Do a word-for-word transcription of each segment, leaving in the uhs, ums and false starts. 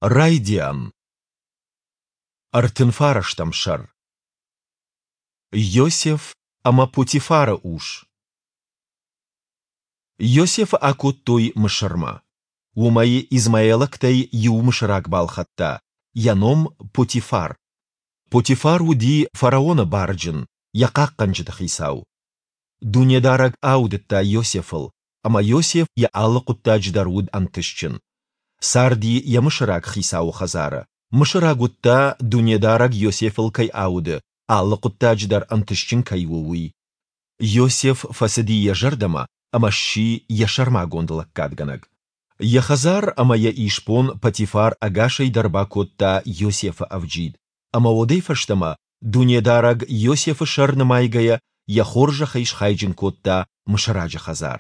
Райдиан. Ӕртын фарӕстӕм сӕр. Йосеф ӕмӕ Потифары ус. Йосефы акодтой Мысырмӕ. Уым ӕй измаилӕгтӕй иу мысыраг балхӕдта, йӕ ном Потифар. Потифар уыди фараоны барджын, йӕ хъахъхъӕнджыты хицау. Дунедарӕг аудыдта Йосефыл, ӕмӕ Йосеф йӕ алы хъуыддаджы дӕр уыд ӕнтыстджын. Царди йӕ мысыраг хицауы хӕдзары. Мысыраг уыдта, Дунедарӕг Йосефыл кӕй ауды, алы хъуыддаджы дӕр ӕнтыстджын кӕй у, уый. Йосеф фӕцыди йӕ зӕрдӕмӕ ӕмӕ сси йӕ сӕрмагонд лӕггадгӕнӕг. Йӕ хӕдзар ӕмӕ йӕ исбон Потифар ӕгасӕй дӕр бакодта Йосефы ӕвджид, ӕмӕ уӕдӕй фӕстӕмӕ Дунедарӕг Йосефы сӕр нымайгӕйӕ йӕ хорзӕхӕй схайджын кодта мысыраджы хӕдзар.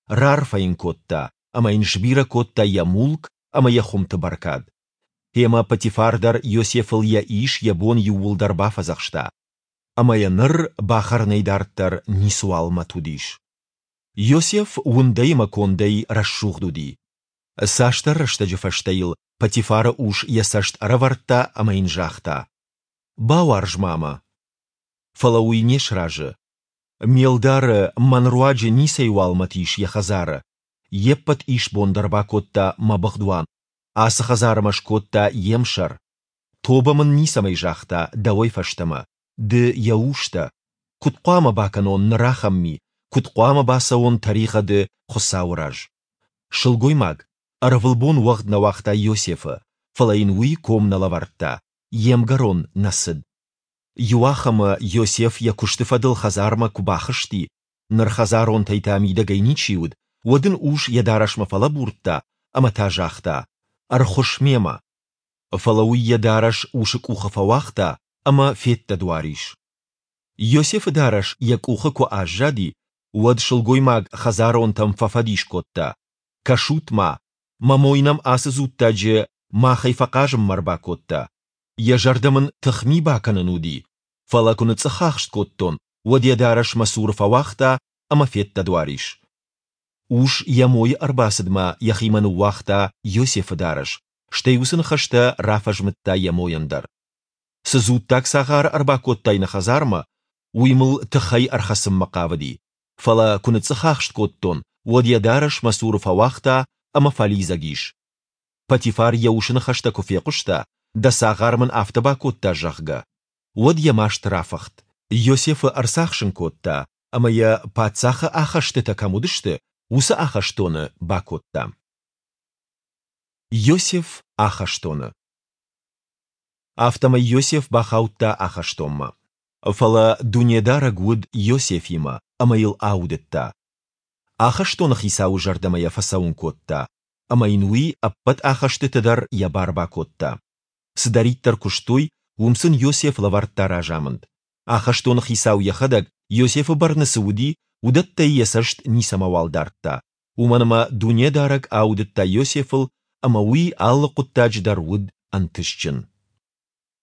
Раарфӕ йын кодта ӕмӕ йын сбирӕ кодта йӕ мулк ӕмӕ йӕ хуымты бӕркад. Гъемӕ Потифар дӕр Йосефыл йӕ ис, йӕ бон иууылдӕр бафӕдзӕхста. Ӕмӕ йӕ ныр бахӕрынӕй дарддӕр ницыуал мӕт уыдис. Йосеф уындӕй ӕмӕ кондӕй рӕсугъд уыди. Цасдӕр рӕстӕджы фӕстӕ йыл Потифары ус йӕ цӕст ӕрӕвӕрдта ӕмӕ йын загъта: «Бауарз-ма мӕ». Фӕлӕ уый не сразы. Ме лдары мӕн руаджы ницӕйуал мӕт ис йӕ хӕдзары. Йе ппӕт исбон дӕр бакодта мӕ быгъдуан, ацы хӕдзары мӕ скодта йе мсӕр. Тобӕ мын ницӕмӕй загъта дӕуӕй фӕстӕмӕ, ды йӕ ус дӕ. Куыд хъуамӕ бакӕнон ныр ахӕм ми, куыд хъуамӕ бацӕуон тӕригъӕды Хуыцауы раз? Сылгоймаг ӕрвылбон уӕгъд нӕ уагъта Йосефы, фӕлӕ йын уый ком нӕ лӕвӕрдта, йе мгӕрон нӕ цыд. Иуахӕмы Йосеф йӕ куысты фӕдыл хӕдзармӕ куы бахызти, ныр хӕдзаронтӕй та мидӕгӕй ничи уыд, уӕд ын ус йӕ дарӕсмӕ фӕлӕбурдта ӕмӕ та загъта: «Ӕрхуысс мемӕ». Фӕлӕ уый йӕ дарӕс усы къухы фӕуагъта ӕмӕ феддӕдуар ис. Йосефы дарӕс йӕ къухы куы аззади, уӕд сылгоймаг хӕдзаронтӕм фӕфӕдис кодта: «Кӕсут-ма, мӕ мой нӕм ацы дзуттаджы махӕй фӕхъазынмӕ ӕрбакодта. Йӕ зӕрдӕ мын тыхми бакӕнын уыди, фӕлӕ куы ныцъцъӕхахст кодтон, уӕд йӕ дарӕс мӕ цуры фӕуагъта ӕмӕ феддӕдуар ис». Ус йӕ мойы ӕрбацыдмӕ йӕхимӕ ныууагъта Йосефы дарӕс, стӕй уыцы ныхӕстӕ рафӕзмыдта йӕ мойӕн дӕр. Цы дзуттаг цагъары ӕрбакодтай нӕ хӕдзармӕ, уый мыл тыхӕй ӕрхӕцынмӕ хъавыди, фӕлӕ куы ныцъцъӕхахст кодтон, уӕд йӕ дарӕс мӕ цуры фӕуагъта ӕмӕ фӕлидзӕг ис. Потифар йӕ усы ныхӕстӕ куы фехъуыста, дӕ цагъар мын афтӕ бакодта, зӕгъгӕ, уӕд йӕ маст рафыхт. Йосефы ӕрцахсын кодта ӕмӕ йӕ, паддзахы ахӕстытӕ кӕм уыдысты, уыцы ахӕстоны бакодта. Йосеф ахӕстоны. Афтӕмӕй Йосеф бахаудта ахӕстонмӕ. Фӕлӕ Дунедарӕг уыд Йосефимӕ ӕмӕ йыл аудыдта. Ахӕстоны хицауы зӕрдӕмӕ йӕ фӕцӕуын кодта, ӕмӕ йын уый ӕппӕт ахӕстыты дӕр йӕ бар бакодта. Цыдӕриддӕр куыстой, уым сын Йосеф лӕвӕрдта разамынд. Ахӕстоны хицау йӕхӕдӕг, Йосефы бӕрны цы уыди, уыдӕттӕй йӕ цӕст ницӕмӕуал дардта, уымӕн ӕмӕ Дунедарӕг аудыдта Йосефыл ӕмӕ уый алы хъуыддаджы дӕр уыд ӕнтыстджын.